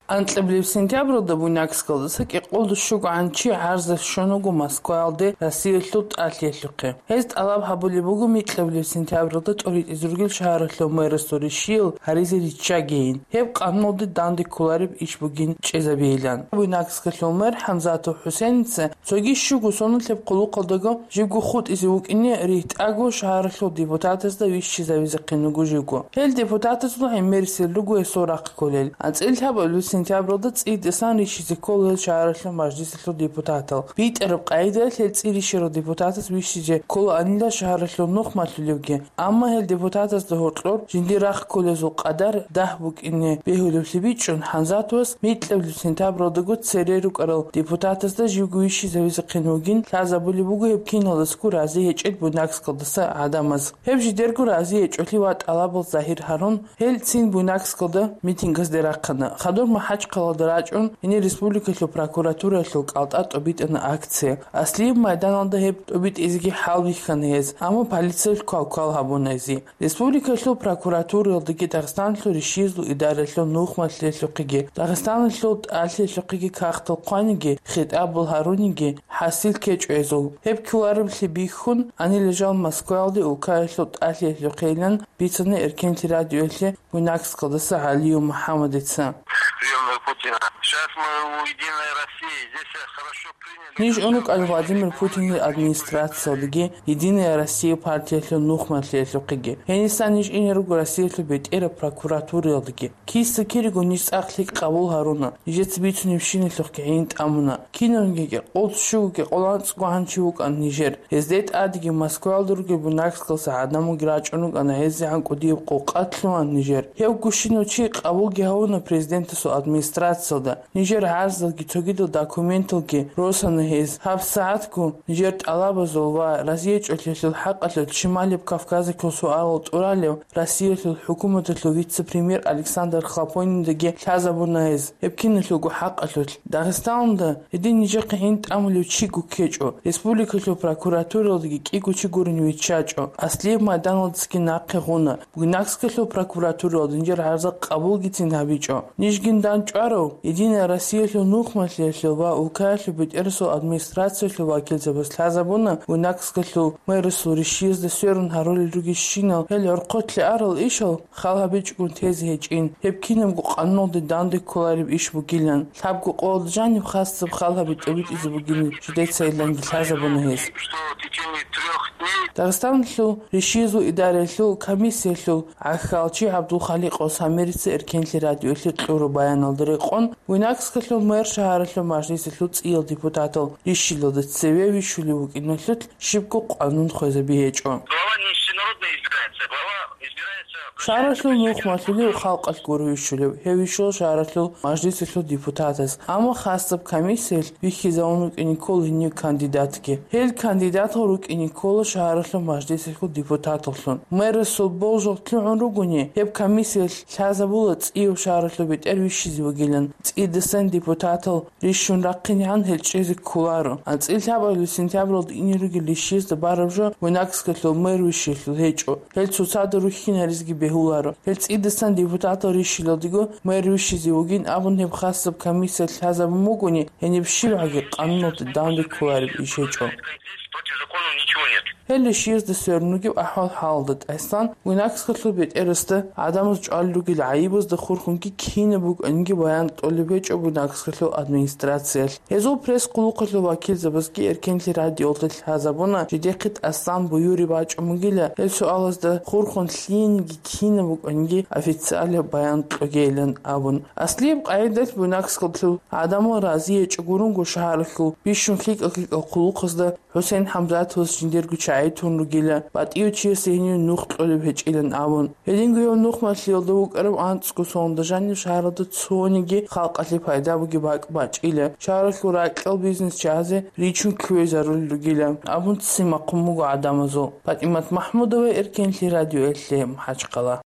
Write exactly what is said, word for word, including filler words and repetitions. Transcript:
Анкьабилеб сентябралда Буйнакскалдаса кӀикъолда щугоан чи гӀарза щун вуго Москваялде Россиялъул тӀалъиялъухъе. Гьез тӀалаб гьабулеб буго микьабилеб сентябралда тӀоритӀизе ругел шагьаралъул мэрасул ришиял гьаризе риччагейин, гьеб къануналде данде кколареб иш бугин чӀезабейилан. Буйнакскалъул мэр ХӀамзатов ХӀусеница цоги щуго соналъеб хъулухъалдаго живго хутӀизе вукӀине ригьтӀаго шагьаралъул депутатазда вищизавизехъин вуго живго. Гьел депутатазул гӀемерисел руго гьесул рахъ кколел. АнцӀила лъабабилеб сентябралда цӀийидасан рищизе ккола гьел шагьаралъул мажлисалъул депутатал. БитӀараб къагӀидаялъ гьел цӀи рищарал депутатаз вищизе кколаанила шагьаралъул нухмалъулевги, амма гьел депутатазда гьоркьор жиндир рахъ кколезул къадар дагь букӀине бегьулевлъи бичӀчӀун, ХӀамзатовас микьабилеб сентябралдаго цере рукӀарал депутатазда живго вищизавизехъин вугин лъазабулеб буго гьеб киналдасго рази гьечӀел Буйнакскалдаса гӀадамаз. Гьеб жидерго рази гьечӀолъи ва тӀалабал загьир гьарун, гьел цин Буйнакскалда митингазде рахъана. Хадур МахӀачхъалаялда рачӀун, гьенир республикалъул прокуратураялъул кӀалтӀа тӀобитӀана акция. Аслияб майданалда гьеб тӀобитӀизеги хӀалбихьана гьез, амма полициялъ квалквал гьабуна гьезие. Республикалъул прокуратураялдаги Дагъистаналъул ришиязул идараялъул нухмалъиялъухъеги, Дагъистаналъул тӀалъиялъухъеги кагътал хъваниги, хитӀабал гьаруниги хӀасил ккечӀо гьезул. Гьеб кколареблъи бихьун, гьанила жал Москваялде улкаялъул тӀалъиялъухъейилан бицана Эркенлъи радиоялъе Буйнакскалдаса ГӀалиев МухӀаммадица. Приёмный Путина. Сейчас мы у Единой России. Здесь хорошо приняли. Ниж ун рукӀал Владимир Путинил администрациялдаги Единая Россия партиялъул нухмалъиялъухъеги. Гьенисан ниж ине руго Россиялъул бетӀераб прокуратураялдаги. Киса-кириго ниж цӀакъ лъикӀ къабул гьаруна, нижеца бицунебщиналъухъги гӀин тӀамуна. Кинабниги кӀикъолда щуго кӀикъолда анцӀго гьанчи вукӀана нижер. Гьезде тӀадеги Москваялда ругел Буйнакскалдаса гӀадамалги рачӀун рукӀана, гьезегӀан кӀудияб къокъа лъугьана нижер. Гьев гущинав чи къабулги гьавуна президентасул администрациялда. Нижер гӀарзалги цогидал документалги росана гьез. ГьабсагӀатго нижер тӀалабазул ва разиячӀолъиялъул хӀакъалъулъ Шималияб Кавказалъул суалал тӀуралев Россиялъул хӀукуматалъул вице-премьер Александр Хлопониндаги лъазабуна гьез гьеб киналъулго хӀакъалъулъ. Дагъистаналда гьедин нижехъе гӀин тӀамулев чиго ккечӀо, республикалъул прокуратураялдаги кӀиго чи гурин виччачӀо, аслияб майданалдасаги нахъе гъуна, Буйнакскалъул прокуратураялда нижер гӀарза къабулгицин гьабичӀо. Нижгин дандчӀварав Единая Россиялъул нухмалъиялъул ва улкаялъул бетӀерасул администрациялъул вакилзабаз лъазабуна Буйнакскалъул мэрасул ришиязда сверун гьарулел ругелщинал гьел гӀорхъолъе арал ишал хал гьабичӀогун тезе гьечӀин, гьеб кинабго къануналде данде кколареб иш бугилан. Лъабго къоялда жаниб хасаб хал гьаби тӀобитӀизе бугин жидецайиланги лъазабуна гьез. Дагъистаналъул ришиязул идараялъул комиссиялъул гӀахьалчи ГӀабдулхаликъов Самирица Эркенлъи радиоялъе кьураб баяналда рекъон, Буйнакскалъул мэр шагьаралъул мажлисалъул цӀиял депутатал рищилалда цеве вищулев вукӀиналъулъ щибго къанун хвезаби гьечӀо. Глава не ежегодно избирается, глава избирается... Шагьаралъул нухмалъулев халкъалъ гуро вищулев, гьев вищула шагьаралъул мажлисалъул депутатаз. Амма хасаб комиссиялъ вихьизавун вукӀине ккола гьенив кандидатги. Гьел кандидатал рукӀине ккола шагьаралъул мажлисалъул депутаталлъун. Мэрасул болжал лъугӀун ругони, гьеб комиссиялъ лъазабула цӀияв шагьаралъул бетӀер вищизе вугилан. ЦӀидасан депутатал рищун рахъинегӀан гьел чӀезе кколаро. АнцӀила лъабабилеб сентябралда ине ругел ришиязда бараб жо Буйнакскалъул мэр вищиялъул гьечӀо. Гьел цоцазда рухьин гьаризги бегьуларо. Гьел цӀидасан депутатал рищилалдего мэр вищизе вугин абун гьеб хасаб комиссиялъ лъазабун бугони, гьениб щибгӀаги къануналде данде кколареб иш гьечӀо. Против закона ничего нет. Гьел ришиязда сверун ругеб ахӀвал-хӀалалда тӀасан Буйнакскалъул бетӀерасда гӀадамаз чӀвалел ругел гӀайибазда хурхунги кинаб букӀаниги баян кьолеб гьечӀо Буйнакскалъул администрациялъ. Гьезул пресс-къулухъалъул вакилзабазги Эркенлъи радиоялда лъазабуна, жидехъе тӀасан буюри бачӀун бугила, гьел суалазда хурхун лъиениги кинаб букӀаниги официалияб баян кьогейилан абун. Аслияб къагӀидалъ Буйнакскалъул гӀадамал разиячӀо гурунго шагьаралъул бищун лъикӀал-лъикӀал хъулухъазда ХӀусен ХӀамзатовас жиндирго чагӀи тун ругила, батӀияв чиясе гьенив нух кьолеб гьечӀилан абун. Гьединго гьев нухмалъиялда вукӀарав анцӀго соналда жанив шагьаралда цониги халкъалъе пайда бугеб бакӀ бачӀила, шагьаралъул ракьал бизнес чагӀазе ричун кквезарулел ругила абун ццин бахъун буго гӀадамазул. ПатӀимат МахӀмудова, Эркенлъи радиоялъе, МахӀачхъала.